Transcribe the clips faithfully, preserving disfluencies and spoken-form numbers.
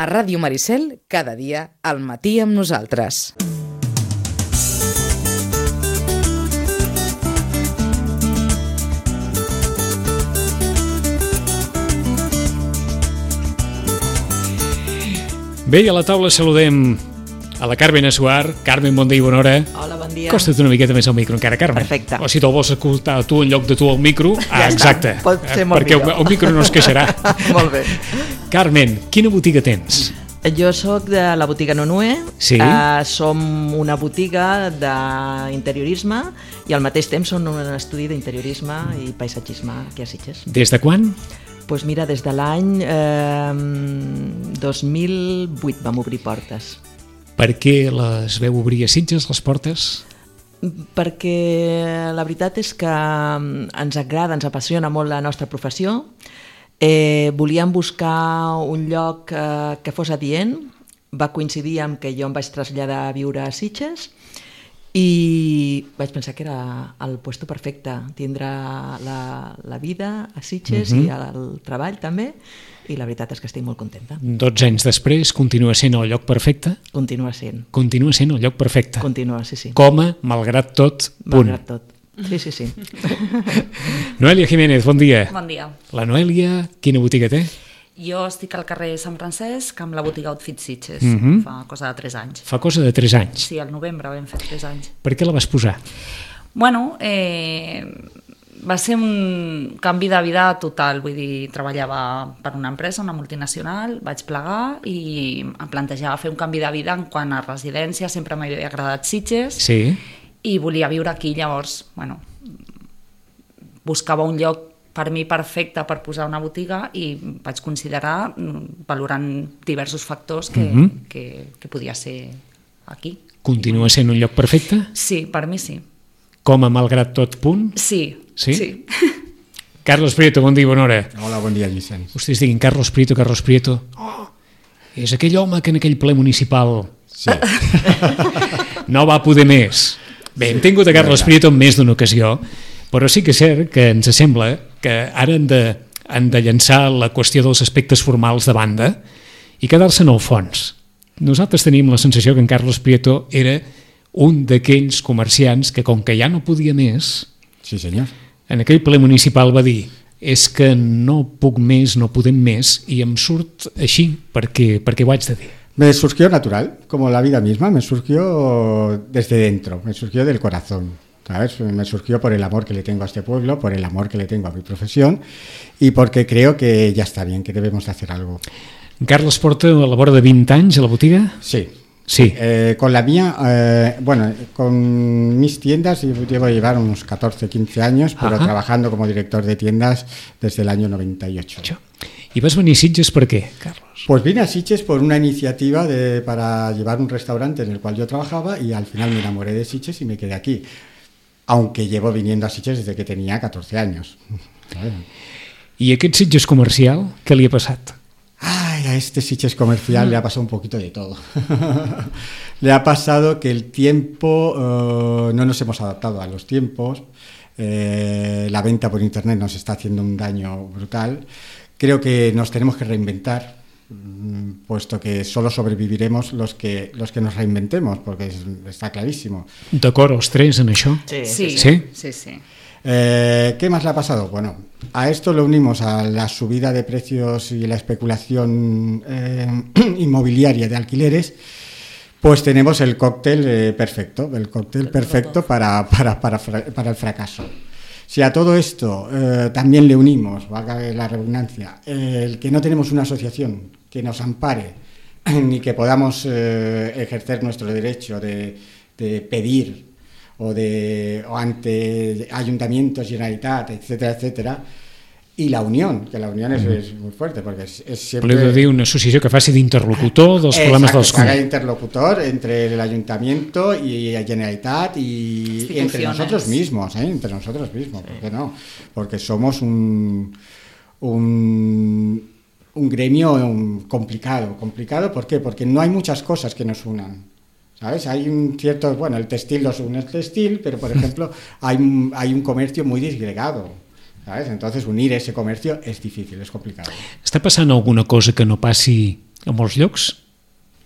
A Ràdio Maricel, cada dia, al matí amb nosaltres. Bé, i a la taula saludem a la Carmen Assuar. Carmen, bon dia i bona hora. Hola, bon dia. Costa't una miqueta més al micro encara, Carmen. Perfecte. O si te'l vols escoltar tu en lloc de tu al micro, ja ah, exacte. Està. Pot ser molt perquè millor. el, el micro no es queixarà. Molt bé. Carmen, quina botiga tens? Jo sóc de la botiga Nonue. Sí. Uh, som una botiga d'interiorisme i al mateix temps som un estudi d'interiorisme i paisatgisme aquí a Sitges. Des de quan? Doncs pues mira, des de l'any eh, dos mil vuit vam obrir portes. Per què les veu obrir a Sitges, les portes? Perquè la veritat és que ens agrada, ens apassiona molt la nostra professió. Eh, volíem buscar un lloc eh, que fos adient. Va coincidir amb que jo em vaig traslladar a viure a Sitges i vaig pensar que era el puesto perfecte, tindre la, la vida a Sitges uh-huh. i el treball també, i la veritat és que estic molt contenta. dotze anys després, continua sent el lloc perfecte? Continua sent. Continua sent el lloc perfecte. Continua, sí, sí. Com a, malgrat tot, punt. Malgrat tot. Sí, sí, sí. Noelia Jiménez, bon dia. Bon dia. La Noelia, quina botiga té? Jo estic al carrer Sant Francesc amb la botiga Outfit Sitges, Mhm. fa cosa de tres anys. Fa cosa de tres anys. Sí, al novembre vam fer tres anys. Per què la vas posar? Bueno, eh, va ser un canvi de vida total, vull dir, treballava per una empresa, una multinacional, vaig plegar i em plantejava fer un canvi de vida en quant a residència, sempre m'havia agradat Sitges Sí. i volia viure aquí, llavors, bueno, buscava un lloc per mi perfecte per posar una botiga i vaig considerar, valorant diversos factors, que, Mhm. que, que podia ser aquí. Continua sent un lloc perfecte? Sí, per mi sí. Com a malgrat tot punt? Sí. Sí? sí. Carlos Prieto, bon dia i bona hora. Hola, bon dia, Vicenç. Vostès diguin Carlos Prieto, Carlos Prieto. Oh, és aquell home que en aquell ple municipal Sí. no va poder més. Bé, hem tingut a Carlos Prieto en més d'una ocasió, però sí que és cert que ens sembla que ara han de, han de llançar la qüestió dels aspectes formals de banda i quedar-se en el fons. Nosaltres tenim la sensació que en Carlos Prieto era un d'aquells comerciants que, com que ja no podia més, Sí, senyor. en aquell ple municipal va dir és que no puc més, no podem més, i em surt així perquè, perquè ho haig de dir. Me surgió natural, como la vida misma, me surgió desde dentro, me surgió del corazón, ¿sabes? Me surgió por el amor que le tengo a este pueblo, por el amor que le tengo a mi profesión y porque creo que ya está bien, que debemos de hacer algo. Carles porta a la vora de vint anys a la botiga? Sí. Sí. Eh, con la mía, eh, bueno, con mis tiendas llevo a llevar unos catorce, quince años, pero Ajá. trabajando como director de tiendas desde el año noventa y ocho. I vas venir a Sitges per què, Carlos? Pues vine a Sitges por una iniciativa de, para llevar un restaurante en el cual yo trabajaba y al final me enamoré de Sitges y me quedé aquí, aunque llevo viniendo a Sitges desde que tenía catorce años. I aquest Sitges comercial, què li ha passat? Ay, a este Sitges comercial le ha pasado un poquito de todo. Le ha pasado que el tiempo, uh, no nos hemos adaptado a los tiempos, eh, la venta por internet nos está haciendo un daño brutal. Creo que nos tenemos que reinventar, puesto que solo sobreviviremos los que, los que nos reinventemos, porque es, está clarísimo. D'acord, els tres en això? Sí, Sí, sí. Sí? sí, sí. Eh, ¿Qué más le ha pasado? Bueno, a esto lo unimos a la subida de precios y la especulación eh, inmobiliaria de alquileres, pues tenemos el cóctel eh, perfecto, el cóctel perfecto para, para, para, para el fracaso. Si a todo esto eh, también le unimos, valga la redundancia, eh, el que no tenemos una asociación que nos ampare ni que podamos eh, ejercer nuestro derecho de, de pedir o de o ante ayuntamientos, Generalitat, etcétera, etcétera, i la unión, que la unión és, és molt fuerte, perquè és, és sempre... Voleu dir una associació que faci d'interlocutor dels Exacto, problemes dels que haga comuns. interlocutor entre el ayuntamiento y la Generalitat y, y entre nosotros mismos, ¿eh? entre nosotros mismos, ¿por qué no? Porque somos un, un, un gremio complicado, complicado, ¿por qué? Porque no hay muchas cosas que nos unan. ¿Sabes? Hay un cierto, bueno, el textil los une el textil, pero por ejemplo hay, hay un comercio muy disgregado, ¿sabes? Entonces unir ese comercio es difícil, es complicado. Està passant alguna cosa que no passi a molts llocs.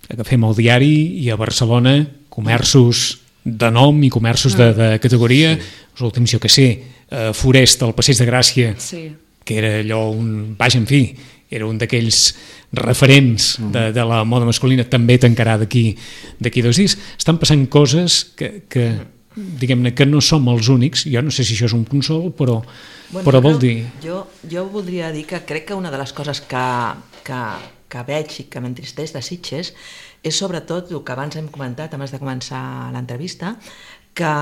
Agafem el diari i a Barcelona comerços de nom i comerços de, de categoria, sí. Els últims, jo que sé, eh, Forest, al Passeig de Gràcia, sí. Que era allò un... Vaja, en fi, era un d'aquells referents de, de la moda masculina, també tancarà d'aquí d'aquí dos dies. Estan passant coses que, que diguem-ne, que no som els únics. Jo no sé si això és un consol, però, bueno, però vol dir... Jo, jo voldria dir que crec que una de les coses que, que, que veig i que m'entristeix de Sitges és sobretot el que abans hem comentat, abans de començar l'entrevista, que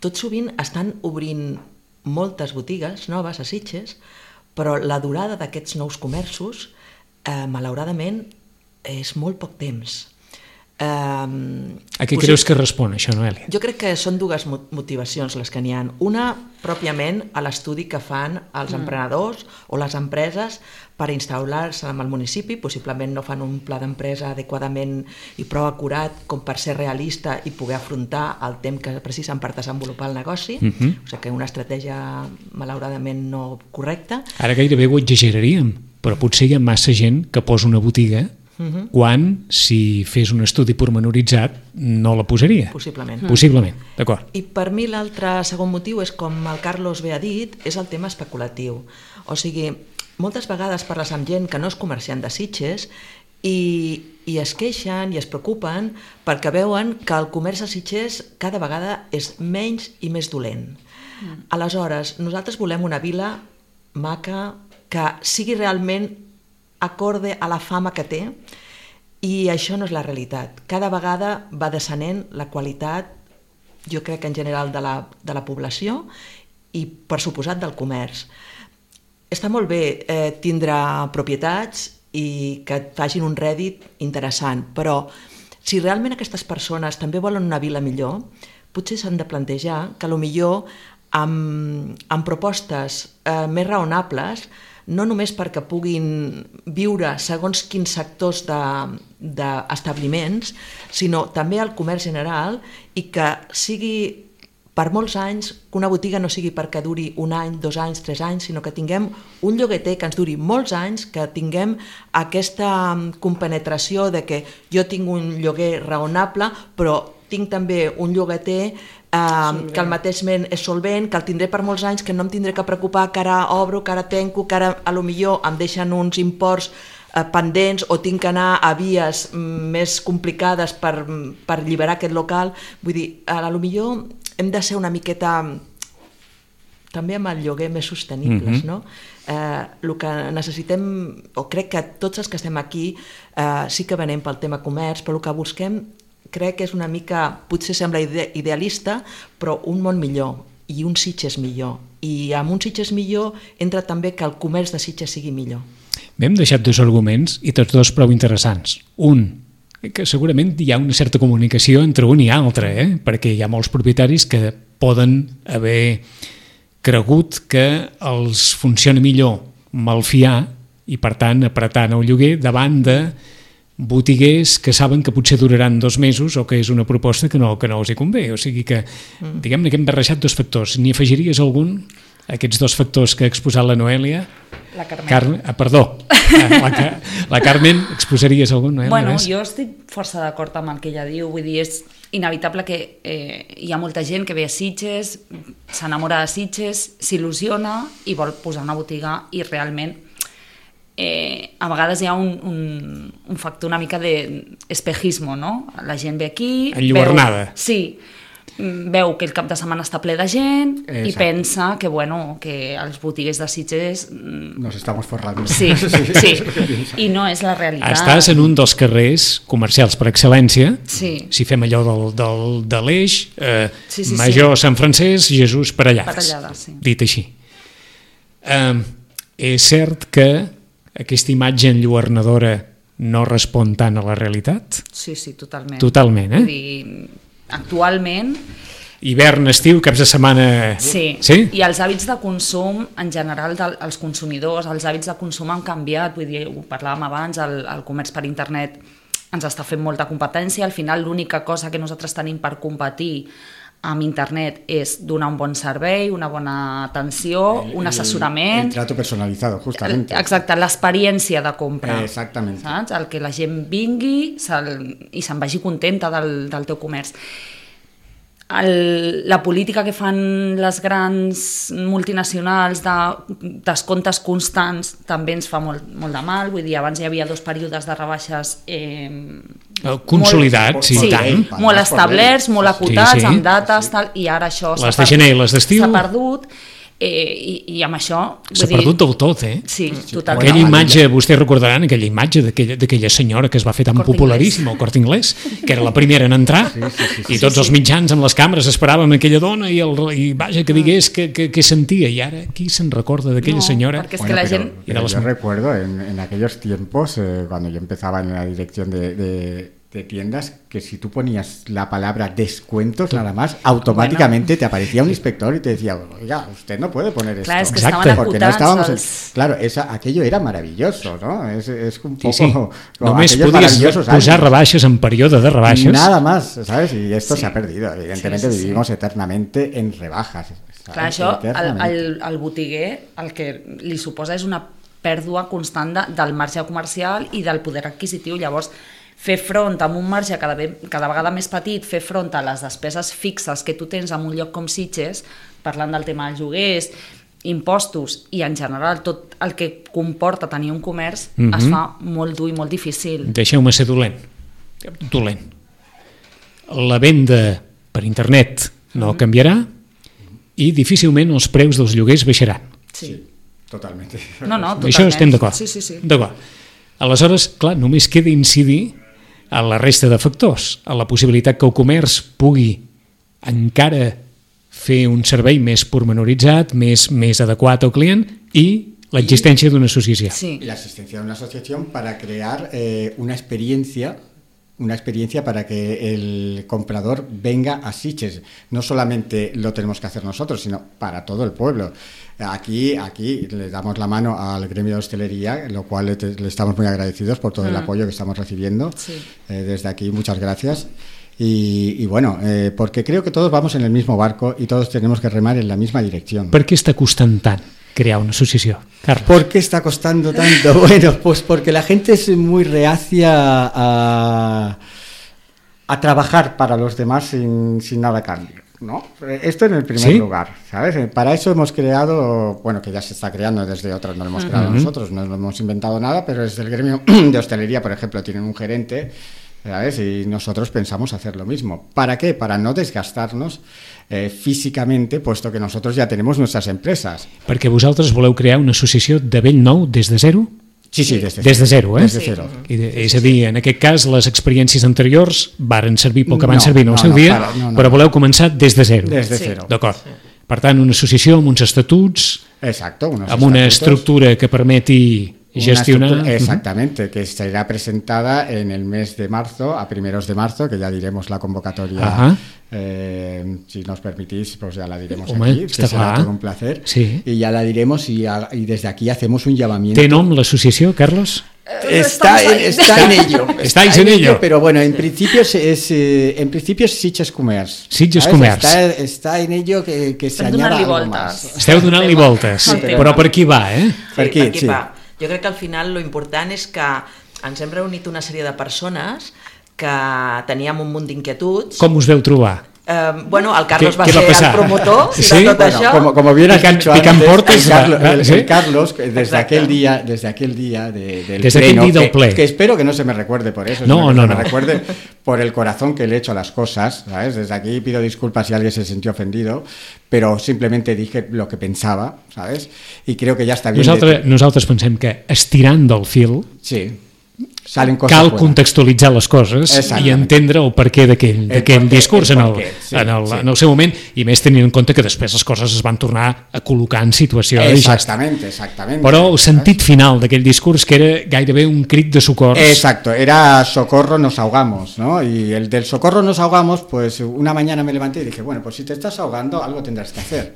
tot sovint estan obrint moltes botigues noves a Sitges, però la durada d'aquests nous comerços, eh, malauradament, és molt poc temps. Eh, a què creus que respon això, Noelia? Jo crec que són dues motivacions les que n'hi ha. Una, pròpiament, a l'estudi que fan els mm. emprenedors o les empreses per instal·lar-se en el municipi, possiblement no fan un pla d'empresa adequadament i prou acurat com per ser realista i poder afrontar el temps que precisen per desenvolupar el negoci, mm-hmm. O sigui que una estratègia malauradament no correcta. Ara gairebé ho exageraríem, però potser hi ha massa gent que posa una botiga Uh-huh. quan, si fes un estudi pormenoritzat, no la posaria. Possiblement. Possiblement, d'acord. I per mi l'altre segon motiu és, com el Carlos bé ha dit, és el tema especulatiu. O sigui, moltes vegades parles amb gent que no és comerciant de Sitges i, i es queixen i es preocupen perquè veuen que el comerç a Sitges cada vegada és menys i més dolent. Mm. Aleshores, nosaltres volem una vila maca que sigui realment acorde a la fama que té, i això no és la realitat. Cada vegada va descenent la qualitat, jo crec que en general de la, de la població i per suposat del comerç. Està molt bé eh, tindre propietats i que et facin un rèdit interessant, però si realment aquestes persones també volen una vila millor, potser s'han de plantejar que potser amb, amb propostes eh, més raonables, no només perquè puguin viure segons quins sectors d'establiments, de, sinó també al comerç general, i que sigui per molts anys, que una botiga no sigui perquè duri un any, dos anys, tres anys, sinó que tinguem un llogueter que ens duri molts anys, que tinguem aquesta compenetració de que jo tinc un lloguer raonable, però tinc també un llogater eh, que al mateix moment és solvent, que el tindré per molts anys, que no em tindré que preocupar que ara obro, que ara tanco, que ara a lo millor em deixen uns imports eh, pendents o tinc que anar a vies mm, més complicades per, per alliberar aquest local. Vull dir, a lo millor hem de ser una miqueta també amb el lloguer més sostenibles, mm-hmm. no? Eh, el que necessitem, o crec que tots els que estem aquí eh, sí que venem pel tema comerç, però el que busquem crec que és una mica, potser sembla ide- idealista, però un món millor i un Sitges millor. I amb un Sitges millor entra també que el comerç de Sitges sigui millor. Bé, hem deixat dos arguments i tots dos prou interessants. Un, que segurament hi ha una certa comunicació entre un i altre, eh? Perquè hi ha molts propietaris que poden haver cregut que els funciona millor malfiar i, per tant, apretant el lloguer davant de botiguers que saben que potser duraran dos mesos o que és una proposta que no, que no els hi convé. O sigui que, mm. diguem-ne que hem barrejat dos factors. N'hi afegiries algun, aquests dos factors que ha exposat la Noelia? La Carmen. Carme, ah, perdó, la, la Carmen, exposaries algun, Noelia? Bueno, jo estic força d'acord amb el que ella diu, vull dir, és inevitable que eh, hi ha molta gent que ve a Sitges, s'enamora de Sitges, s'il·lusiona i vol posar una botiga i realment Eh, a vegades hi ha un, un, un factor una mica d'espejismo, no? La gent ve aquí... Enlluernada. Veu, sí, veu que el cap de setmana està ple de gent. Exacte. I pensa que, bueno, que els botiguers de Sitges... Nos estamos forrando. Sí, sí, i no és la realitat. Estàs en un dels carrers comercials per excel·lència, sí. Si fem allò del, del, de l'Eix, eh, sí, sí, Major sí. Sant Francesc, Jesús Parellades. Parellades, sí. Dit així. Eh, és cert que aquesta imatge enlluernadora no respon tant a la realitat? Sí, sí, totalment. Totalment, eh? Vull dir, actualment... Hivern, estiu, caps de setmana... Sí, sí? I els hàbits de consum, en general, dels consumidors, els hàbits de consum han canviat, vull dir, ho parlàvem abans, el, el comerç per internet ens està fent molta competència, al final l'única cosa que nosaltres tenim per competir amb internet és donar un bon servei, una bona atenció, el, un assessorament... El, el trato personalizado, justamente. Exacte, l'experiència de compra. Exactament. Saps? El que la gent vingui i se'n vagi contenta del, del teu comerç. El, la política que fan les grans multinacionals de descomptes constants també ens fa molt, molt de mal. Vull dir, abans hi havia dos períodes de rebaixes eh, consolidats, molt, sí, sí, tant. molt establerts, molt acotats, sí, sí. amb dates, tal, i ara això les de gener i les d'estiu s'ha perdut. Eh, i, i amb això... S'ha perdut del tot, eh? Sí, totalment. Aquella imatge, vostès recordaran aquella imatge d'aquella senyora que es va fer tan popularíssima, el Corte Inglés, que era la primera en entrar, sí, sí, sí, sí, i tots sí, sí. els mitjans amb les càmeres esperàvem aquella dona i, el, i vaja, que digués que, que, que sentia, i ara qui se'n recorda d'aquella no, senyora? Perquè és bueno, que la pero, gent... Pero yo recuerdo en, en aquellos tiempos, eh, cuando yo empezaba en la dirección de, de, de tiendas, que si tú ponías la palabra descuentos nada más, automáticamente bueno. te aparecía un inspector y te decía, oiga, usted no puede poner claro, esto. Es que estaven porque no estábamos els... en... Claro, esa, aquello era maravilloso, ¿no? Es, es un poco... Sí, sí. Només podies posar rebaixes en període de rebaixes. Nada más, ¿sabes? Y esto sí. se ha perdido. Evidentemente sí, sí, vivimos sí. eternamente en rebajas. ¿sabes? Clar, això, el, el, el botiguer, el que li suposa és una pèrdua constant de, del marge comercial i del poder adquisitiu. Llavors, fer front amb un marge cada, cada vegada més petit, fer front a les despeses fixes que tu tens en un lloc com Sitges, parlant del tema dels lloguers, impostos i en general tot el que comporta tenir un comerç, mm-hmm. es fa molt dur i molt difícil. Deixeu-me ser dolent. Dolent. La venda per internet no mm-hmm. canviarà i difícilment els preus dels lloguers baixaran. Sí, sí totalment. No, no, totalment. Això estem d'acord. Sí, sí, sí. D'acord. Aleshores, clar, només queda incidir a la resta de factors, a la possibilitat que el comerç pugui encara fer un servei més pormenoritzat, més, més adequat al client i l'existència d'una associació. Sí. La existencia de una asociación para crear eh, una experiencia una experiencia para que el comprador venga a Sitges. No solamente lo tenemos que hacer nosotros, sino para todo el pueblo. Aquí, aquí le damos la mano al gremio de hostelería, lo cual le, le estamos muy agradecidos por todo mm. el apoyo que estamos recibiendo. Sí. Eh, desde aquí, muchas gracias. Y, y bueno, eh, porque creo que todos vamos en el mismo barco y todos tenemos que remar en la misma dirección. ¿Por qué está costant tant crear una asociación, Carlos? ¿Por qué está costando tanto? Bueno, pues porque la gente es muy reacia a, a trabajar para los demás sin, sin nada a cambio, ¿no? Esto en el primer ¿Sí? lugar, ¿sabes? Para eso hemos creado, bueno, que ya se está creando desde otros, no lo hemos creado uh-huh. nosotros, no hemos inventado nada, pero desde el gremio de hostelería, por ejemplo, tienen un gerente, ¿sabes? Y nosotros pensamos hacer lo mismo. ¿Para qué? Para no desgastarnos eh, físicamente, puesto que nosotros ya tenemos nuestras empresas. Perquè vosaltres voleu crear una associació de bell nou des de zero? Sí, sí, des de des de zero, eh? Des de zero. I de, és a dir, en aquest cas, les experiències anteriors varen servir pel que van no, servir en el no, seu no, dia, para, no, no, però voleu començar des de zero. Des de zero. D'acord. Sí. Per tant, una associació amb uns estatuts, Exacto, unos amb una estatutos, estructura que permeti gestionar. Exactamente, que será presentada en el mes de marzo, a primeros de marzo, que ya diremos la convocatoria, eh, si nos permitís, pues ya la diremos Home, aquí, que será todo un placer, sí. y ya la diremos y, a, y desde aquí hacemos un llamamiento. ¿Té nom l'associació, Carlos? Está, está en ello. Estáis está en ello. Pero bueno, en principio es, es eh, en principio es Sitges Comerç. Sitges Comerç. Está, está en ello que, que se añada algo más. Esteu donant-li voltes, sí, però per aquí va, eh? Sí, per aquí, per aquí sí. va. Jo crec que al final lo important és que ens hem reunit una sèrie de persones que teníem un munt d'inquietuds. Com us veu trobar? Eh, bueno, el Carlos ¿Qué, va qué ser va el promotor ¿Sí? de tot bueno, això. Como, como bien has Pican, dicho pican antes, portes, el, Carlos, va, el, ¿sí? el Carlos, desde Exacte. aquel día, desde aquel día de, del desde pleno, aquel día del que, ple. que espero que no se me recuerde por eso, no, sino que no, se no. me recuerde por el corazón que le he hecho a las cosas, ¿sabes? Desde aquí pido disculpas si alguien se sintió ofendido, pero simplemente dije lo que pensaba, ¿sabes? Y creo que ya está bien. Nosaltres, de... nosaltres pensem que estirant del fil sí. Salen coses cal buenas. Contextualitzar les coses i entendre el perquè d'aquell discurs el en, el, sí, en, el, sí. en el seu moment, i més tenint en compte que després les coses es van tornar a col·locar en situació exactament, exactament. Però el sentit final d'aquell discurs que era gairebé un crit de socors. Exacto, era socorro nos ahogamos, ¿no? Y el del socorro nos ahogamos, pues una mañana me levanté y dije, bueno, pues si te estás ahogando algo tendrás que hacer.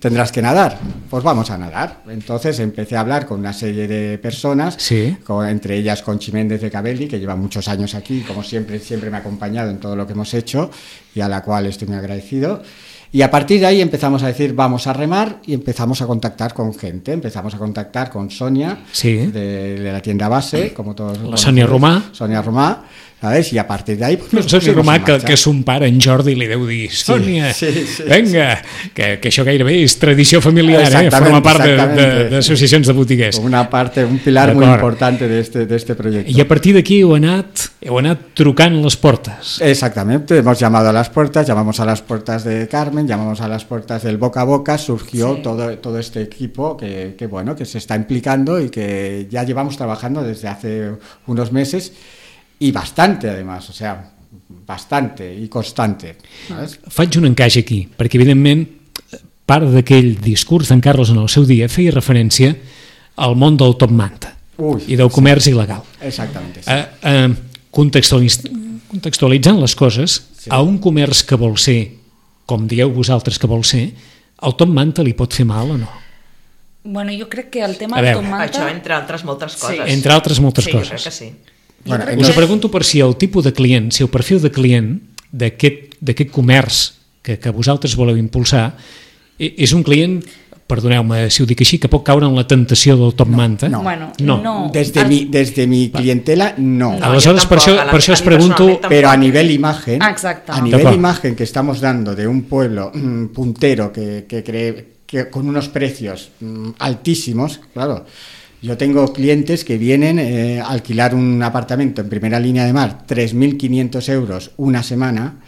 tendrás que nadar. Pues vamos a nadar. Entonces empecé a hablar con una serie de personas, sí. con, entre ellas Conchi Méndez de Cabelli, que lleva muchos años aquí, como siempre, siempre me ha acompañado en todo lo que hemos hecho y a la cual estoy muy agradecido. Y a partir de ahí empezamos a decir, vamos a remar, y empezamos a contactar con gente. Empezamos a contactar con Sonia, sí. de, de la tienda base, como todos. La Sonia Romà. Sonia Romà. ¿Sabes? I a partir d'ahí... Pues, no sé si Romà, que, que son pare, en Jordi, li deu dir Sònia, sí, sí, sí, venga, sí. Que, que això gairebé és tradició familiar, eh? Forma part d'associacions de, de, de botiguers. Una parte, un pilar muy importante de este, de este proyecto. I a partir d'aquí heu anat, heu anat trucant les portes. Exactamente, hemos llamado a las puertas, llamamos a las puertas de Carmen, llamamos a las puertas del boca a boca, surgió sí. todo, todo este equipo que, que, bueno, que se está implicando y que ya llevamos trabajando desde hace unos meses. I bastante, además, o sea, bastante i constante. ¿sabes? Faig un encaix aquí, perquè, evidentment, part d'aquell discurs d'en Carlos en el seu dia feia referència al món del top manta Ui, i del comerç sí. il·legal. Exactament, sí. Eh, eh, contextualiz... Contextualitzant les coses, sí. a un comerç que vol ser, com dieu vosaltres que vol ser, el top manta li pot fer mal o no? Bueno, jo crec que el tema del top manta... Això, entre altres moltes coses. Sí. Entre altres moltes sí, coses. Sí, jo crec que sí. Bueno, us ho pregunto per si el tipus de client, si el perfil de client d'aquest comerç que, que vosaltres voleu impulsar és un client, perdoneu-me si ho dic així, que pot caure en la tentació del top no, manta? No, bueno, no. no. Desde, mi, desde mi clientela, no. no Aleshores, per això, per això us pregunto... Pero a nivel imagen, Exacte. a nivel imagen que estamos dando de un pueblo mmm, puntero que, que cree que con unos precios mmm, altísimos, claro... Yo tengo clientes que vienen eh, a alquilar un apartamento en primera línea de mar, tres mil quinientos euros una semana,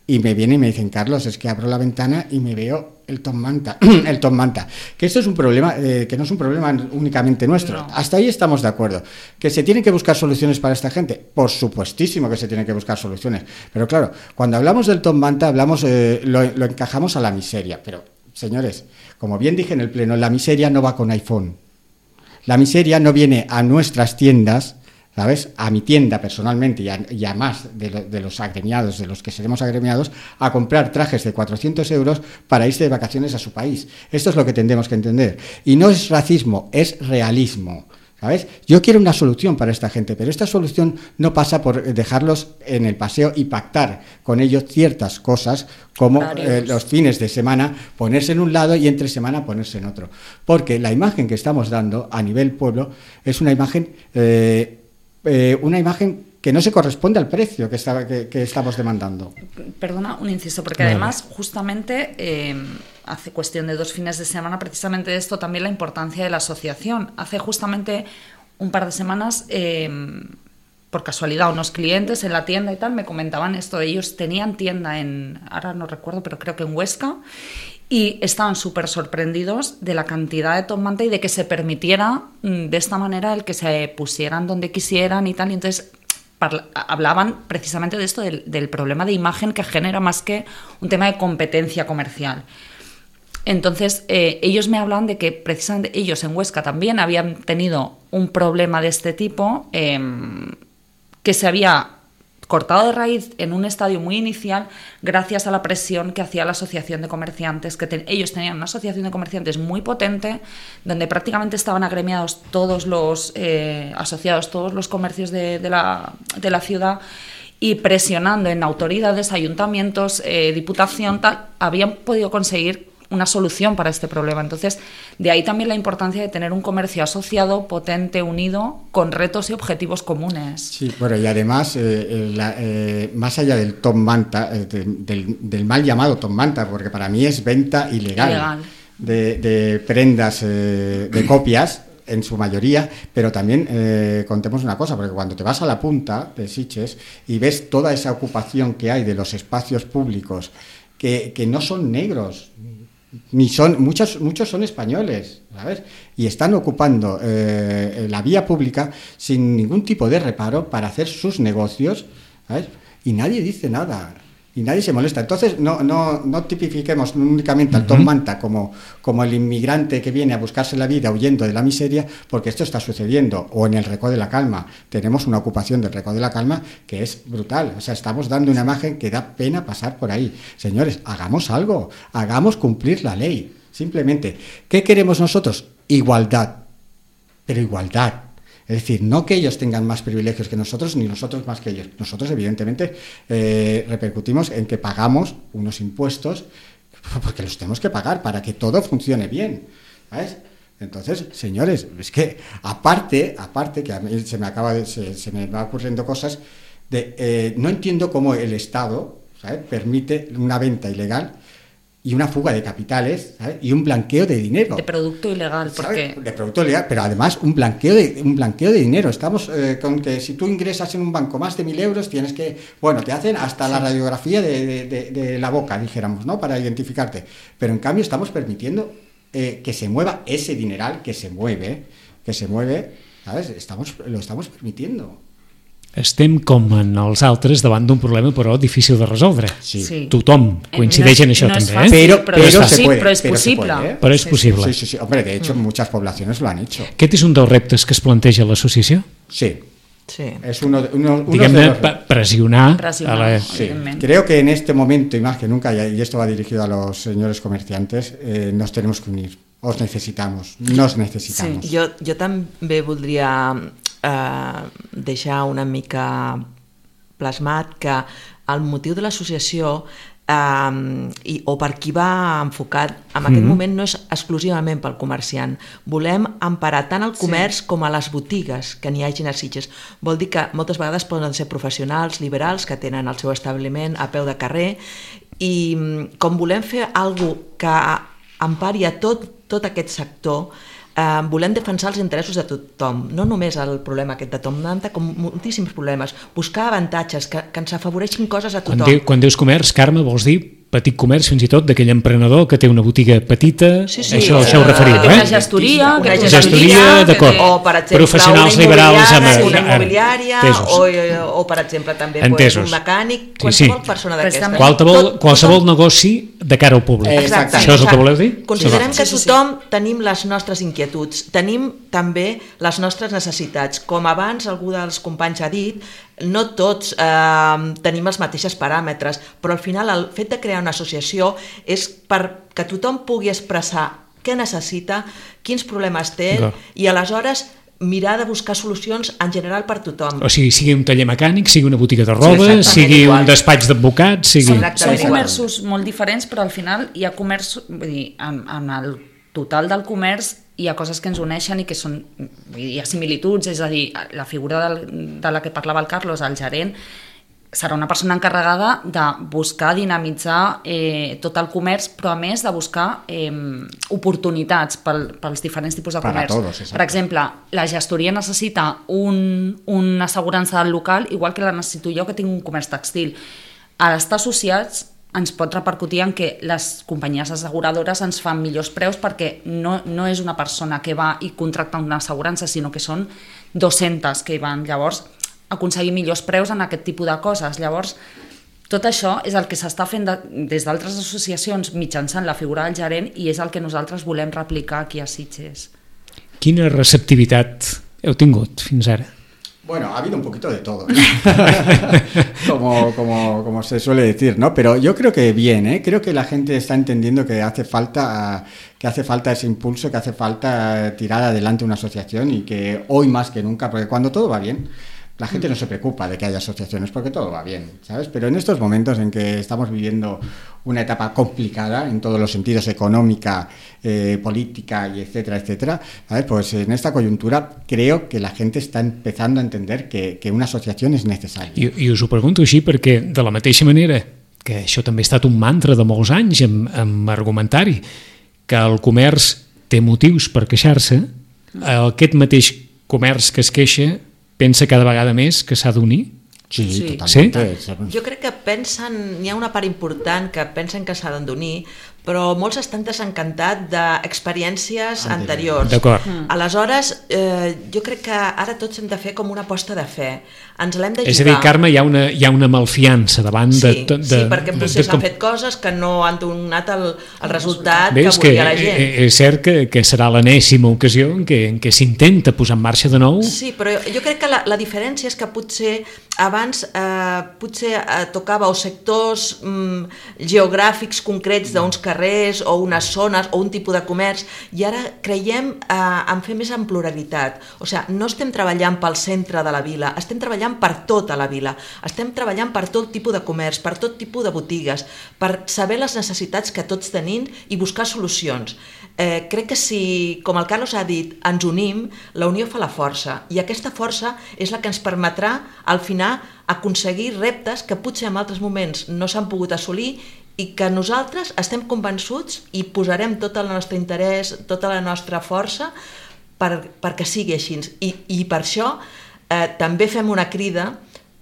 y me vienen y me dicen, Carlos, es que abro la ventana y me veo el top manta, el top manta. Que esto es un problema, eh, que no es un problema únicamente nuestro. No. Hasta ahí estamos de acuerdo. Que se tienen que buscar soluciones para esta gente, por supuestísimo que se tienen que buscar soluciones. Pero claro, cuando hablamos del top manta, hablamos, eh, lo, lo encajamos a la miseria. Pero, señores, como bien dije en el pleno, la miseria no va con iPhone. La miseria no viene a nuestras tiendas, ¿sabes? A mi tienda personalmente y a, y a más de, lo, de los agremiados, de los que seremos agremiados, a comprar trajes de cuatrocientos euros para irse de vacaciones a su país. Esto es lo que tendremos que entender. Y no es racismo, es realismo. ¿Sabes? Yo quiero una solución para esta gente, pero esta solución no pasa por dejarlos en el paseo y pactar con ellos ciertas cosas, como eh, los fines de semana ponerse en un lado y entre semana ponerse en otro. Porque la imagen que estamos dando a nivel pueblo es una imagen, eh, eh, una imagen que no se corresponde al precio que, está, que, que estamos demandando. Perdona, un inciso, porque vale. además justamente eh, hace cuestión de dos fines de semana precisamente de esto también la importancia de la asociación. Hace justamente un par de semanas, eh, por casualidad, unos clientes en la tienda y tal me comentaban esto. Ellos tenían tienda en, ahora no recuerdo, pero creo que en Huesca, y estaban súper sorprendidos de la cantidad de top manta y de que se permitiera de esta manera el que se pusieran donde quisieran y tal. Y entonces Parla, hablaban precisamente de esto, del, del problema de imagen que genera más que un tema de competencia comercial. Entonces, eh, ellos me hablan de que precisamente ellos en Huesca también habían tenido un problema de este tipo, eh, que se había cortado de raíz en un estadio muy inicial gracias a la presión que hacía la asociación de comerciantes, que te, ellos tenían una asociación de comerciantes muy potente, donde prácticamente estaban agremiados todos los eh, asociados, todos los comercios de, de, la, de la ciudad, y presionando en autoridades, ayuntamientos, eh, diputación, tal, habían podido conseguir una solución para este problema. Entonces, de ahí también la importancia de tener un comercio asociado, potente, unido, con retos y objetivos comunes. Sí, bueno, y además, eh, la, eh, más allá del top manta, eh, de, del, del mal llamado top manta, porque para mí es venta ilegal, ilegal. De, de prendas eh, de copias, en su mayoría, pero también eh, contemos una cosa, porque cuando te vas a la punta de Sitges y ves toda esa ocupación que hay de los espacios públicos, que, que no son negros, ni son muchos muchos son españoles, ¿sabes? Y están ocupando eh, la vía pública sin ningún tipo de reparo para hacer sus negocios, ¿sabes? Y nadie dice nada y nadie se molesta. Entonces no no no tipifiquemos únicamente al top manta como como el inmigrante que viene a buscarse la vida huyendo de la miseria, porque esto está sucediendo. O en el Recó de la Calma tenemos una ocupación del Recó de la Calma que es brutal. O sea, estamos dando una imagen que da pena pasar por ahí. Señores, hagamos algo, hagamos cumplir la ley. simplemente. ¿Qué queremos nosotros? Igualdad, pero igualdad. Es decir, no que ellos tengan más privilegios que nosotros, ni nosotros más que ellos. Nosotros, evidentemente, eh, repercutimos en que pagamos unos impuestos porque los tenemos que pagar para que todo funcione bien, ¿sabes? Entonces, señores, es que aparte, aparte que a mí se me acaba de, se, se me va ocurriendo cosas de, eh, no entiendo cómo el Estado, ¿sabes?, permite una venta ilegal y una fuga de capitales, ¿sabes?, y un blanqueo de dinero. De producto ilegal, ¿sabes? porque... De producto ilegal, pero además un blanqueo de, un blanqueo de dinero. Estamos eh, con que si tú ingresas en un banco más de mil euros, tienes que, bueno, te hacen hasta sí. la radiografía de, de, de, de la boca, dijéramos, ¿no?, para identificarte. Pero en cambio estamos permitiendo eh, que se mueva ese dineral, que se mueve, que se mueve, ¿sabes? Estamos, lo estamos permitiendo. Estem com en els altres davant d'un problema però difícil de resoldre. Sí. Sí. Tothom coincideix no en es, això no també. Fàcil, eh? Pero, pero, pero, pero se sí, puede, pero es pero se posible. puede, ¿eh? Però és Sí, possible. Sí, sí, sí. Hombre, de hecho, muchas poblaciones lo han hecho. Aquest és un dels reptes que es planteja a l'associació? Sí. Sí. Es uno, de- uno, uno Diguem-ne, de los... pa- pressionar, Pressionar. a la... Sí. Evidentemente. Creo que en este momento, y más que nunca, y esto va dirigido a los señores comerciantes, eh, nos tenemos que unir. Os necesitamos, nos necesitamos. Sí, jo, jo també voldria eh, deixar una mica plasmat que el motiu de l'associació eh, i, o per qui va enfocat en aquest Mhm. moment no és exclusivament pel comerciant. Volem emparar tant el comerç com a les botigues que n'hi hagin a Sitges. Vol dir que moltes vegades poden ser professionals, liberals, que tenen el seu establiment a peu de carrer, i mm, com volem fer alguna cosa que empari a tot, tot aquest sector, eh, volem defensar els interessos de tothom, no només el problema aquest de Tom Nanta, com moltíssims problemes, buscar avantatges que, que ens afavoreixin coses a Quan, tothom. diu, quan dius comerç, Carme, vols dir petit comerç fins i tot d'aquell emprenedor que té una botiga petita? Sí, sí, això, eh, això ho referiu, Una eh? gestoria, Una que té gestoria, d'acord. O, per exemple, Professionals una liberals amb- immobiliària, una amb- immobiliària entesos. o, o, per exemple, també Entesos. pues, un mecànic, Sí, qualsevol sí. persona d'aquesta. Préstamo. Qualsevol, Tot- qualsevol tothom- negoci de cara al públic. Eh, Exacte. Això és el que voleu dir? Considerem Sí, que sí, sí. tothom tenim les nostres inquietuds, tenim també les nostres necessitats. Com abans algú dels companys ha dit, no tots eh, tenim els mateixos paràmetres, però al final el fet de crear una associació és perquè tothom pugui expressar què necessita, quins problemes té, D'acord. i aleshores mirar de buscar solucions en general per tothom. O sigui, sigui un taller mecànic, sigui una botiga de Sí, roba, exactament sigui igual. un despatx d'advocats, sigui... Són, Exactament són igual. comerços molt diferents, però al final hi ha comerç, vull dir, en, en el total del comerç hi ha coses que ens uneixen i que són, vull dir, hi ha similituds, és a dir, la figura del, de la que parlava el Carlos, el gerent, serà una persona encarregada de buscar dinamitzar eh, tot el comerç, però a més de buscar eh, oportunitats pel, pels diferents tipus de Para comerç. todos, exacte. Per exemple, la gestoria necessita un, una assegurança del local, igual que la necessito jo que tinc un comerç textil. A l'estar associats ens pot repercutir en que les companyies asseguradores ens fan millors preus perquè no, no és una persona que va i contracta una assegurança, sinó que són dues-centes que hi van. Llavors, aconseguir millors preus en aquest tipus de coses. Llavors, tot això és el que s'està fent de, des d'altres associacions mitjançant la figura del gerent i és el que nosaltres volem replicar aquí a Sitges. Quina receptivitat heu tingut fins ara? Bueno, ha habido un poquito de todo, ¿no? como, como, como se suele decir, ¿no? Pero yo creo que bien, ¿eh? Creo que la gente está entendiendo que hace falta, que hace falta ese impulso, que hace falta tirar adelante una asociación y que hoy más que nunca, porque cuando todo va bien, la gente no se preocupa de que haya asociaciones porque todo va bien, ¿sabes? Pero en estos momentos en que estamos viviendo una etapa complicada en todos los sentidos, económica, eh, política y etcétera, etcétera, ¿sabes? Pues en esta coyuntura creo que la gente está empezando a entender que, que una asociación es necesaria. I, I us ho pregunto així perquè, de la mateixa manera que això també ha estat un mantra de molts anys amb, amb argumentari, que el comerç té motius per queixar-se, aquest mateix comerç que es queixa pensa cada vegada més que s'ha d'unir? Sí, Sí. totalmente. Jo crec que pensen, hi ha una part important que pensen que s'ha d'unir, però molts estan desencantats d'experiències anteriors. D'acord. Aleshores, eh, jo crec que ara tots hem de fer com una aposta de fe. Ens l'hem de jugar. És a dir, Carme, hi ha una, hi ha una malfiança davant de... Sí, de, de sí, perquè potser de- s'han fet coses que no han donat el, el resultat Bé, que és que volia la gent. eh, és cert que, que serà l'enèsima ocasió en què, en què s'intenta posar en marxa de nou. Sí, però jo crec que la, la diferència és que potser abans eh, potser eh, tocava o sectors mm, geogràfics concrets d'uns carrers carrers o unes zones o un tipus de comerç, i ara creiem eh, en fer més en pluralitat. O sigui, no estem treballant pel centre de la vila, estem treballant per tota la vila, estem treballant per tot tipus de comerç, per tot tipus de botigues, per saber les necessitats que tots tenim i buscar solucions. Eh, crec que si, com el Carlos ha dit, ens unim, la unió fa la força, i aquesta força és la que ens permetrà al final aconseguir reptes que potser en altres moments no s'han pogut assolir i que nosaltres estem convençuts i posarem tot el nostre interès, tota la nostra força per, perquè sigui així. I, i per això eh, també fem una crida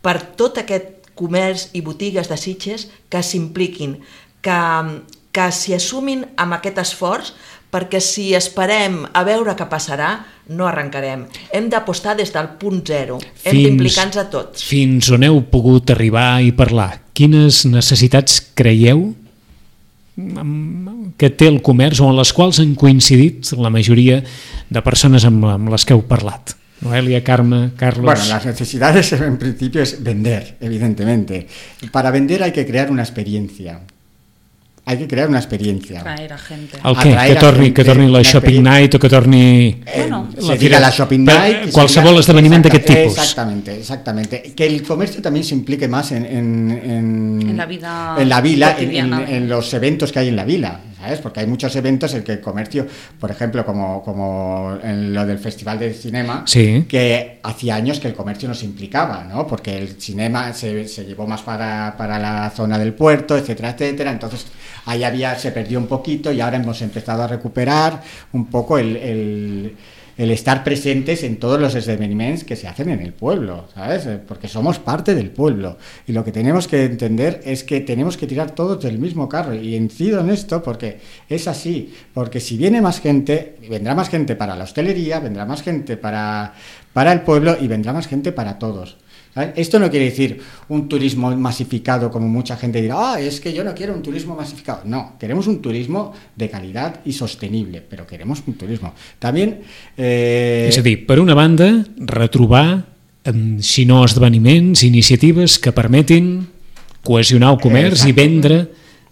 per tot aquest comerç i botigues de Sitges que s'impliquin, que, que s'hi assumin amb aquest esforç, perquè si esperem a veure què passarà, no arrencarem. Hem d'apostar des del punt zero, hem d'implicar-nos a tots. Fins on heu pogut arribar i parlar? Quines necessitats creieu que té el comerç o en les quals han coincidit la majoria de persones amb, amb les que heu parlat? Noelia, Carme, Carlos... Bueno, las necesidades en principio es vender, evidentemente. Para vender hay que crear una experiencia. Hay que crear una experiencia. Traer a gente. El què? Que torni, que torni la shopping night o que torni... Bueno, eh, se diga la shopping night... Qualsevol esdeveniment d'aquest tipus. Exactamente, exactamente. Que el comercio también se implique más en... En, en, en la vida En la vila, en, cotidiana. en, en los eventos que hay en la vila, ¿sabes? Porque hay muchos eventos en que el comercio, por ejemplo, como, como en lo del Festival de Cinema, sí, que hacía años que el comercio no se implicaba, ¿no? Porque el cinema se, se llevó más para, para la zona del puerto, etcétera, etcétera. Entonces ahí había, se perdió un poquito y ahora hemos empezado a recuperar un poco el, el, el estar presentes en todos los esdevenimientos que se hacen en el pueblo, ¿sabes? Porque somos parte del pueblo y lo que tenemos que entender es que tenemos que tirar todos del mismo carro, y incido en esto porque es así, porque si viene más gente, vendrá más gente para la hostelería, vendrá más gente para, para el pueblo y vendrá más gente para todos. ¿Sabes? Esto no quiere decir un turismo masificado, como mucha gente dirá, ah, es que yo no quiero un turismo masificado. No, queremos un turismo de calidad y sostenible, però queremos un turismo. También... Eh... És a dir, per una banda, retrobar, si no esdeveniments, iniciatives que permetin cohesionar el comerç i vendre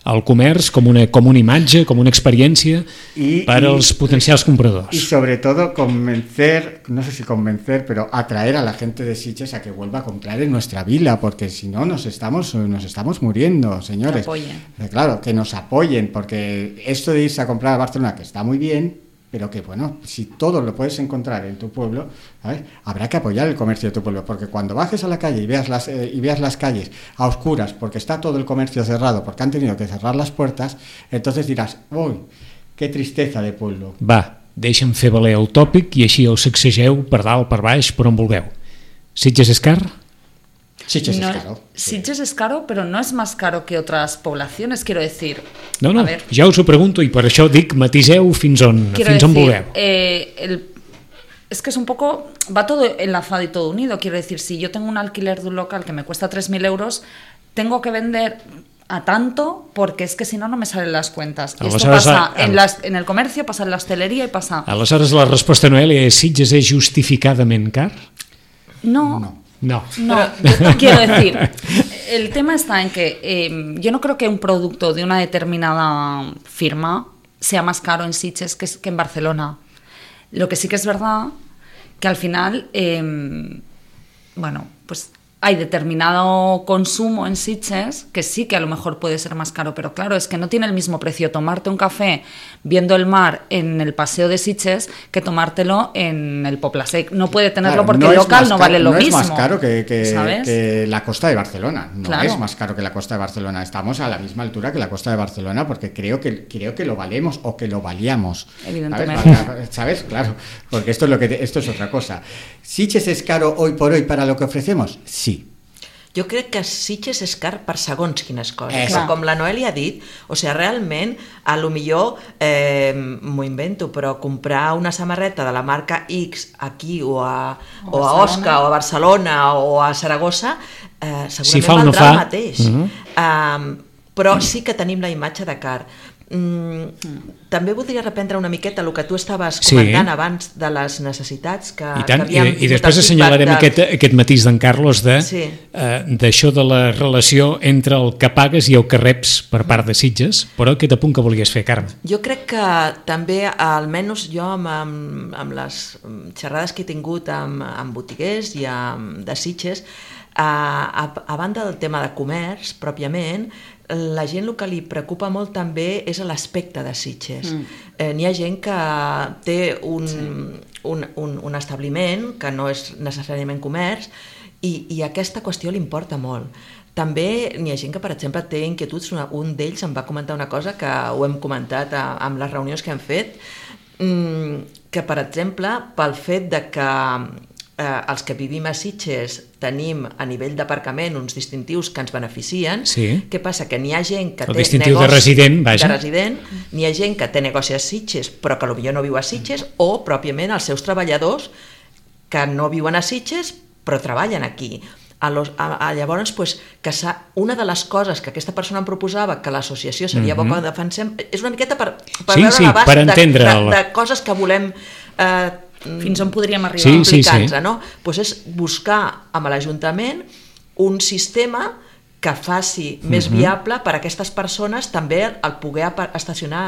el comerç com una, com una imatge, com una experiència y, para y, los potenciales compradores. Y sobre todo convencer, no sé si convencer, pero atraer a la gente de Sitges a que vuelva a comprar en nuestra vila, porque si no nos estamos, nos estamos muriendo, señores. Que apoyen. Claro, que nos apoyen, porque esto de irse a comprar a Barcelona, que está muy bien, pero que bueno, si todo lo puedes encontrar en tu pueblo, ¿sabes? Habrá que apoyar el comercio de tu pueblo, porque cuando bajes a la calle y veas las eh, y veas las calles a oscuras porque está todo el comercio cerrado, porque han tenido que cerrar las puertas, entonces dirás, uy, qué tristeza de pueblo. Va, deixa'm fer valer el tòpic i així el sacsegeu per dalt, per baix, per on vulgueu. Sitges és car? Sitges no, es caro. Sitges es caro, pero no es más caro que otras poblaciones, quiero decir. No, no, a ver, ja us ho pregunto i per això dic matiseu fins on, quiero fins on decir, vulgueu. Eh, el, es que es un poco, va todo enlazado y todo unido, quiero decir, si yo tengo un alquiler de un local que me cuesta tres mil euros, tengo que vender a tanto porque es que si no, no me salen las cuentas. Y esto pasa en, las, en el comercio, pasa en la hostelería y pasa... Aleshores la resposta, Noelia, és Sitges és justificadament car? No, No. No. No, yo quiero decir, el tema está en que eh, yo no creo que un producto de una determinada firma sea más caro en Sitges que, que en Barcelona. Lo que sí que es verdad que al final, eh, bueno, pues hay determinado consumo en Sitges que sí que a lo mejor puede ser más caro, pero claro, es que no tiene el mismo precio tomarte un café viendo el mar en el paseo de Sitges que tomártelo en el Poplasec. No puede tenerlo, claro, porque no el local no vale lo no mismo. No es más caro que, que, que la costa de Barcelona. No, claro, es más caro que la costa de Barcelona. Estamos a la misma altura que la costa de Barcelona porque creo que, creo que lo valemos o que lo valíamos. Evidentemente. ¿Sabes? ¿Sabes? Claro, porque esto es, lo que te, esto es otra cosa. ¿Sitges es caro hoy por hoy para lo que ofrecemos? Sí. Jo crec que Sitges és car per segons quines coses. Eh, Però, com la Noelia ha dit, o sigui, realment, a lo millor, eh, m'ho invento, però comprar una samarreta de la marca X aquí o a, o a Osca o a Barcelona o a Saragossa, eh, segurament si fa valdrà no fa. el mateix. Uh-huh. Um, però sí que tenim la imatge de car. Mm, mm. També voldria reprendre una miqueta el que tu estaves comentant sí. abans de les necessitats que, I tant, que havíem i, i després assenyalarem de... aquest, aquest matís d'en Carlos de, sí. eh, d'això de la relació entre el que pagues i el que reps per part de Sitges, però aquest apunt que volies fer, Carme. Jo crec que també, almenys jo amb, amb, amb les xerrades que he tingut amb, amb botiguers i amb, de Sitges, a, a, a banda del tema de comerç pròpiament, la gent el que li preocupa molt també és l'aspecte de Sitges. Mm. Eh, n'hi ha gent que té un, sí. un, un, un establiment que no és necessàriament comerç i, i aquesta qüestió li importa molt. També n'hi ha gent que, per exemple, té inquietuds. Un d'ells em va comentar una cosa que ho hem comentat a, amb les reunions que hem fet, que, per exemple, pel fet de que eh, els que vivim a Sitges tenim a nivell d'aparcament uns distintius que ens beneficien. Sí. Què passa? Que n'hi ha gent que el té distintiu negoci de resident, vaja. de resident, n'hi ha gent que té negoci a Sitges però que potser no viu a Sitges, o pròpiament els seus treballadors que no viuen a Sitges però treballen aquí. A los, a, a llavors, pues, que una de les coses que aquesta persona em proposava que l'associació seria mm-hmm. bo que defensem, és una miqueta per, per sí, veure sí, l'abast per de, de, el... de coses que volem eh, fins on podríem arribar sí, sí, sí. no? Pues és buscar amb l'Ajuntament un sistema que faci més uh-huh. viable per a aquestes persones també el poder estacionar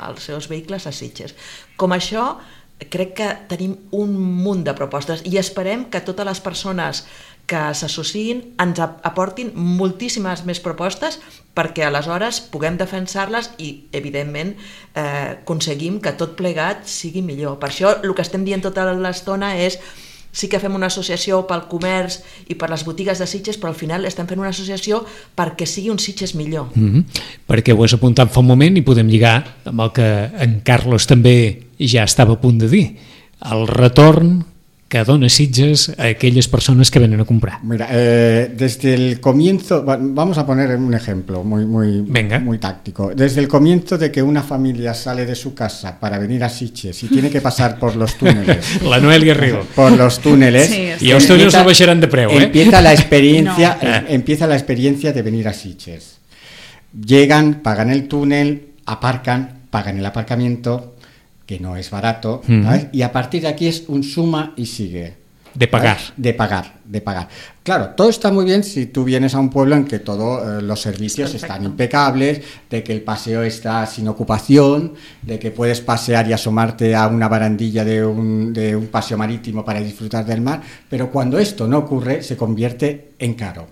els seus vehicles a Sitges. Com això, crec que tenim un munt de propostes i esperem que totes les persones que s'associïn ens aportin moltíssimes més propostes perquè aleshores puguem defensar-les i, evidentment, eh, aconseguim que tot plegat sigui millor. Per això el que estem dient tota l'estona és sí que fem una associació pel comerç i per les botigues de Sitges, però al final estem fent una associació perquè sigui un Sitges millor. Mm-hmm. Perquè ho has apuntat fa un moment i podem lligar amb el que en Carlos també ja estava a punt de dir. El retorn que dona Sitges a aquellas personas que vienen a comprar. Mira, eh, desde el comienzo, vamos a poner un ejemplo muy, muy, Venga. muy táctico. Desde el comienzo de que una familia sale de su casa para venir a Sitges y tiene que pasar por los túneles. La Noelia Rigo. Por los túneles. Sí, y a ustedes no baixaran de preu, ¿eh? Empieza la experiencia, no. eh, empieza la experiencia de venir a Sitges. Llegan, pagan el túnel, aparcan, pagan el aparcamiento, que no es barato, ¿sabes? Y a partir de aquí es un suma y sigue. De pagar. ¿Sabes? De pagar, de pagar. Claro, todo está muy bien si tú vienes a un pueblo en que todos eh, los servicios están impecables, de que el paseo está sin ocupación, de que puedes pasear y asomarte a una barandilla de un, de un paseo marítimo para disfrutar del mar, pero cuando esto no ocurre se convierte en caro.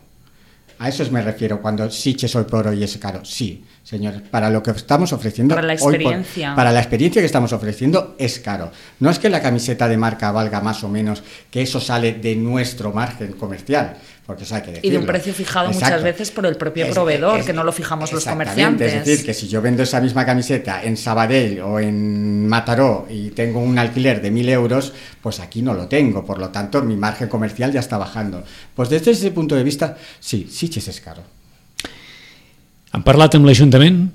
A eso me refiero cuando Sitges hoy por hoy es caro. Sí, señores, para lo que estamos ofreciendo para la experiencia. Hoy por, para la experiencia que estamos ofreciendo es caro. No es que la camiseta de marca valga más o menos, que eso sale de nuestro margen comercial, porque eso hay que decirlo. Y de un precio fijado Exacto. muchas veces por el propio es, proveedor, es, que no lo fijamos los comerciantes. Es decir, que si yo vendo esa misma camiseta en Sabadell o en Mataró y tengo un alquiler de mil euros, pues aquí no lo tengo, por lo tanto mi margen comercial ya está bajando. Pues desde ese punto de vista, sí, Sitges es caro. ¿Han parlat amb l'Ajuntament?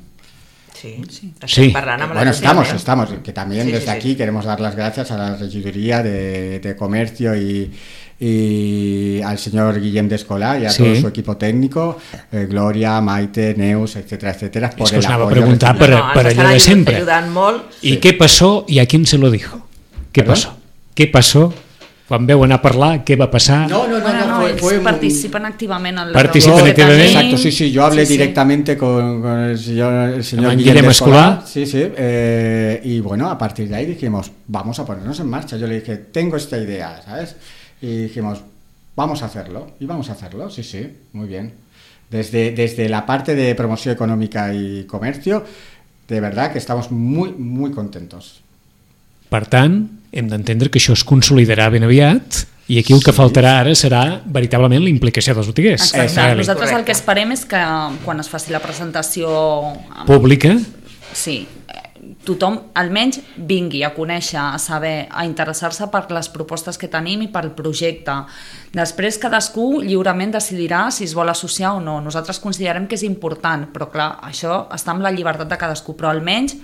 Sí, sí. sí. Bueno, estamos, estamos, que también sí, desde sí, aquí sí. queremos dar las gracias a la Regiduría de, de Comercio y, y al señor Guillem Descolà y a sí. todo su equipo técnico, eh, Gloria, Maite, Neus, etcétera, etcétera, por es que el us anava a apoyo. preguntar per, no, no, per allò de sempre. Molt, ¿Y sí. qué pasó y a quién se lo dijo? ¿Qué ¿Perdón? pasó? ¿Qué pasó? Quan veu anar a parlar, què va passar? No, no, no, bueno, no, no fue, ells fue participen un... activament en les Participen reunions que activament. tenim. Exacto, sí, sí, yo hablé sí, sí. directamente con, con el señor, el señor Guillem Guillem Descolà. Descolà. Sí, sí, eh, y bueno, a partir de ahí dijimos, vamos a ponernos en marcha. Yo le dije, tengo esta idea, ¿sabes? Y dijimos, vamos a hacerlo, y vamos a hacerlo, sí, sí, muy bien. Desde, desde la parte de promoción económica y comercio, de verdad que estamos muy, muy contentos. Per tant, hem d'entendre que això es consolidarà ben aviat i aquí el que sí. faltarà ara serà veritablement la implicació dels botiguers. Exacte. Nosaltres el que esperem és que quan es faci la presentació pública, sí, tothom almenys vingui a conèixer, a saber, a interessar-se per les propostes que tenim i pel projecte. Després cadascú lliurement decidirà si es vol associar o no. Nosaltres considerem que és important, però clar, això està amb la llibertat de cadascú, però almenys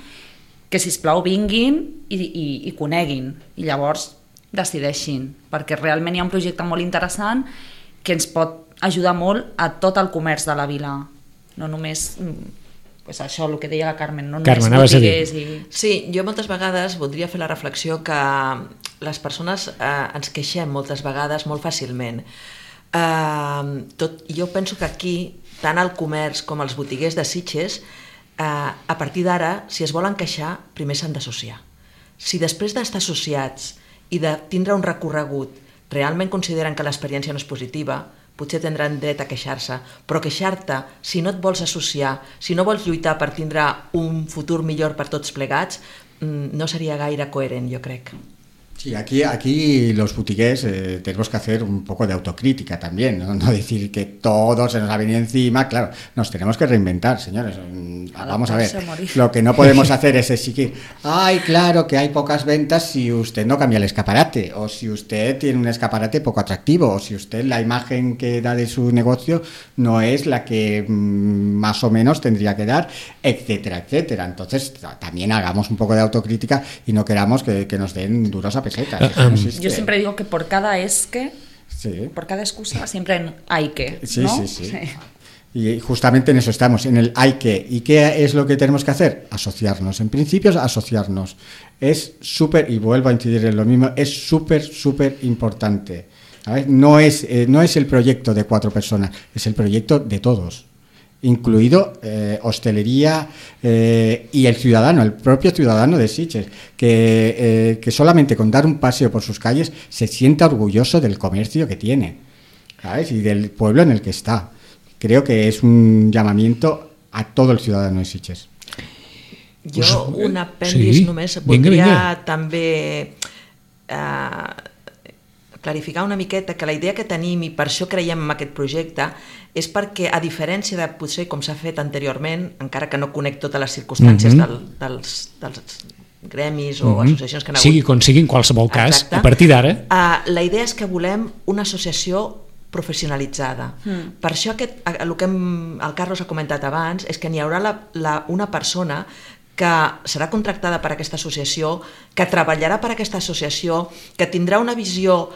que sisplau vinguin i, i, i coneguin i llavors decideixin, perquè realment hi ha un projecte molt interessant que ens pot ajudar molt a tot el comerç de la vila, no només pues això, el que deia la Carmen, no Carmen, només anaves a dir. botiguers i... Sí, jo moltes vegades voldria fer la reflexió que les persones eh, ens queixem moltes vegades molt fàcilment. Eh, tot, jo penso que aquí, tant el comerç com els botiguers de Sitges, eh, a partir d'ara, si es volen queixar, primer s'han d'associar. Si després d'estar associats i de tindre un recorregut realment consideren que l'experiència no és positiva, potser tindran dret a queixar-se, però queixar-te, si no et vols associar, si no vols lluitar per tindre un futur millor per tots plegats, no seria gaire coherent, jo crec. Sí, aquí, aquí los botigués eh, tenemos que hacer un poco de autocrítica también, ¿no? No decir que todo se nos ha venido encima, claro, nos tenemos que reinventar, señores. Vamos a ver, lo que no podemos hacer es exigir, ay, claro que hay pocas ventas si usted no cambia el escaparate, o si usted tiene un escaparate poco atractivo, o si usted la imagen que da de su negocio no es la que mmm, más o menos tendría que dar, etcétera, etcétera. Entonces, también hagamos un poco de autocrítica y no queramos que, que nos den duros a pesetas. Uh, um, no yo siempre digo que por cada es que, sí. por cada excusa, siempre hay que, sí, ¿no? Sí, sí, sí. Y justamente en eso estamos, en el hay que. ¿Y qué es lo que tenemos que hacer? Asociarnos. En principio, asociarnos. Es súper, y vuelvo a incidir en lo mismo, es súper, súper importante. ¿Sabes? No es, eh, no es el proyecto de cuatro personas, es el proyecto de todos, incluido eh, hostelería eh, y el ciudadano, el propio ciudadano de Sitges, que, eh, que solamente con dar un paseo por sus calles se sienta orgulloso del comercio que tiene, ¿sabes? Y del pueblo en el que está. Creo que es un llamamiento a todo el ciudadano de Sitges. Jo, un apèndix sí? només, voldria vinga, vinga. també eh, clarificar una miqueta que la idea que tenim, i per això creiem en aquest projecte, és perquè, a diferència de potser com s'ha fet anteriorment, encara que no conec totes les circumstàncies mm-hmm. del, dels, dels gremis o mm-hmm. associacions que han hagut... Sigui com sigui, en qualsevol cas, exacte, a partir d'ara... Uh, la idea és que volem una associació professionalitzada. Mm. Per això aquest, el que hem, el Carlos ha comentat abans és que n'hi haurà la, la, una persona que serà contractada per aquesta associació, que treballarà per aquesta associació, que tindrà una visió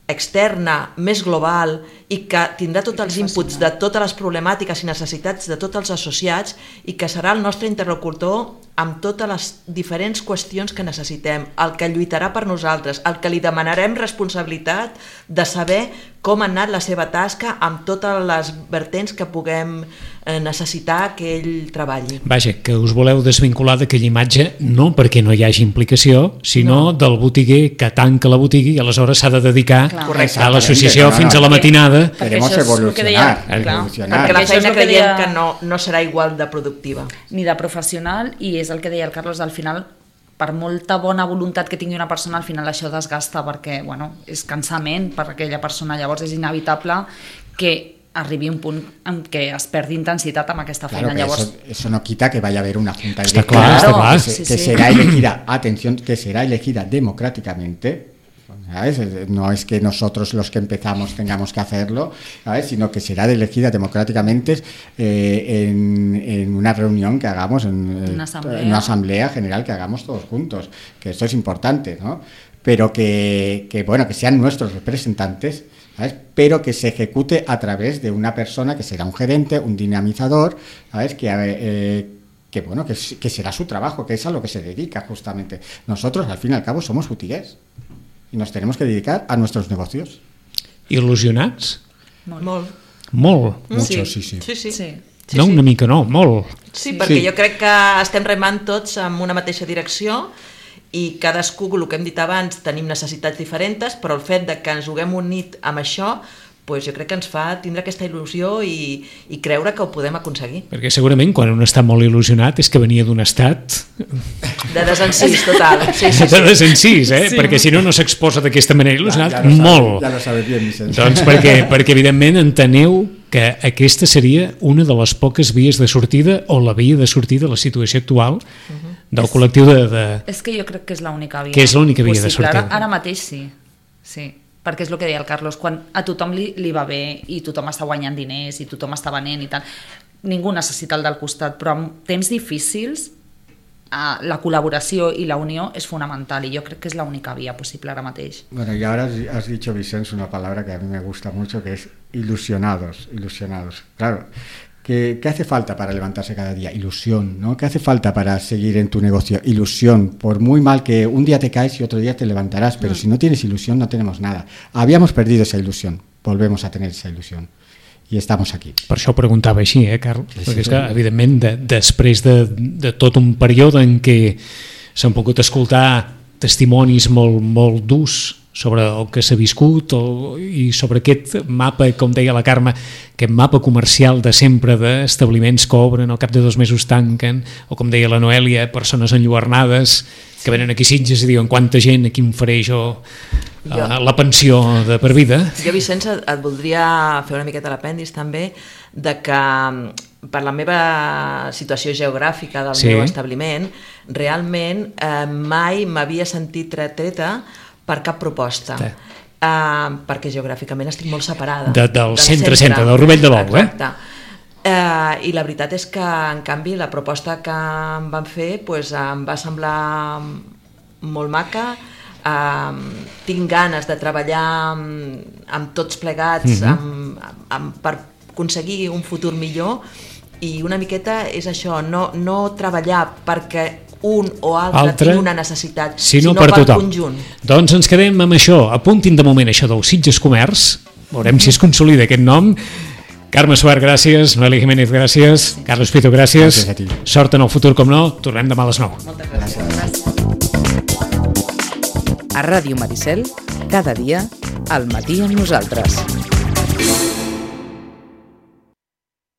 externa, més global, i que tindrà tots els inputs de totes les problemàtiques i necessitats de tots els associats, i que serà el nostre interlocutor amb totes les diferents qüestions que necessitem, el que lluitarà per nosaltres, el que li demanarem responsabilitat de saber com ha anat la seva tasca amb totes les vertents que puguem necessitar que ell treballi. Vaja, que us voleu desvincular d'aquella imatge no perquè no hi hagi implicació, sinó no. del botiguer que tanca la botiga i aleshores s'ha de dedicar a l'associació no, no, fins a la matinada. Queremos evolucionar, evolucionar. Perquè la feina creiem deia... que no, no serà igual de productiva. Ni de professional, i és el que deia el Carlos, al final, per molta bona voluntat que tingui una persona, al final això desgasta perquè, bueno, és cansament per aquella persona, llavors és inevitable que arribi un punt en què es perdi intensitat amb aquesta feina. Claro, llavors... eso, eso no quita que vaya a haber una junta está electoral claro, está claro. que, sí, que sí. será elegida, atención, que será elegida democráticamente, ¿sabes? No es que nosotros los que empezamos tengamos que hacerlo, ¿sabes? Sino que será elegida democráticamente eh, en, en una reunión que hagamos, en, una asamblea. en una asamblea general que hagamos todos juntos, que esto es importante, ¿no? Pero que, que bueno, que sean nuestros representantes, ¿sabes? Pero que se ejecute a través de una persona que será un gerente, un dinamizador, ¿sabes? Que, eh, que bueno, que, que será su trabajo, que es a lo que se dedica justamente. Nosotros, al fin y al cabo, somos botiguers y nos tenemos que dedicar a nuestros negocios. Il·lusionats? Molt. Molt? Mucho, sí, sí. sí, sí. sí. sí no, sí. una mica no, molt. Sí, perquè sí. jo crec que estem remant tots en una mateixa direcció i cadascú, el que hem dit abans, tenim necessitats diferents, però el fet de que ens haguem unit amb això, pues jo crec que ens fa tindre aquesta il·lusió i, i creure que ho podem aconseguir. Perquè segurament quan un està molt il·lusionat és que venia d'un estat... De desencís, total. Sí, sí, sí. De desencís, eh? Sí. Perquè si no, no s'exposa d'aquesta manera il·lusionat, ja, ja molt. Sabe, ja lo sabes bien, Vicent. Doncs perquè, perquè evidentment enteneu que aquesta seria una de les poques vies de sortida o la via de sortida de la situació actual uh-huh. del col·lectiu de, de... És que jo crec que és l'única via. Que és l'única via possible. de sortida. Ara, ara mateix sí, sí. Perquè és el que deia el Carlos, quan a tothom li, li va bé i tothom està guanyant diners i tothom està venent i tal, ningú necessita el del costat, però en temps difícils la col·laboració i la unió és fonamental i jo crec que és l'única via possible ara mateix. Bueno, y ahora has dicho, Vicens, una palabra que a mí me gusta mucho, que es ilusionados, ilusionados. Claro, ¿Qué, ¿Qué hace falta para levantarse cada día? Ilusión, ¿no? ¿Qué hace falta para seguir en tu negocio? Ilusión. Por muy mal que un día te caes y otro día te levantarás, pero mm. si no tienes ilusión no tenemos nada. Habíamos perdido esa ilusión, volvemos a tener esa ilusión. I estamos aquí. Per això ho preguntava així, eh, Carl? Sí, Perquè és sí, que, sí. evidentment, de, després de, de tot un període en què s'han pogut escoltar testimonis molt, molt durs sobre el que s'ha viscut o, i sobre aquest mapa, com deia la Carme, aquest mapa comercial de sempre d'establiments que obren, al cap de dos mesos tanquen, o com deia la Noèlia, persones enlluernades que venen aquí a Sitges i diuen quanta gent, aquí em faré jo, jo. Uh, la pensió de per vida. Jo, Vicenç, et voldria fer una miqueta l'apèndix també de que per la meva situació geogràfica del sí. meu establiment, realment eh, mai m'havia sentit retreta per cap proposta. Sí. Uh, perquè geogràficament estic molt separada. De, del centre-centre, del Rovell de l'Ou, eh? Exacte. Uh, I la veritat és que, en canvi, la proposta que em van fer pues, em va semblar molt maca. Uh, tinc ganes de treballar amb, amb tots plegats mm-hmm. amb, amb, per aconseguir un futur millor, i una miqueta és això, no, no treballar perquè un o altre, altre tingui una necessitat, sinó, sinó per, per tothom. Conjunt. Doncs ens quedem amb això. Apuntin de moment això del Sitges Comerç, veurem si es consolida aquest nom. Carme Suart, gràcies. Noelia Jiménez, gràcies. Carlos Pito, gràcies. Gràcies a ti. Sort en el futur, com no. Tornem demà a les nou. Moltes gràcies. gràcies. A Ràdio Maricel, cada dia, al matí amb nosaltres.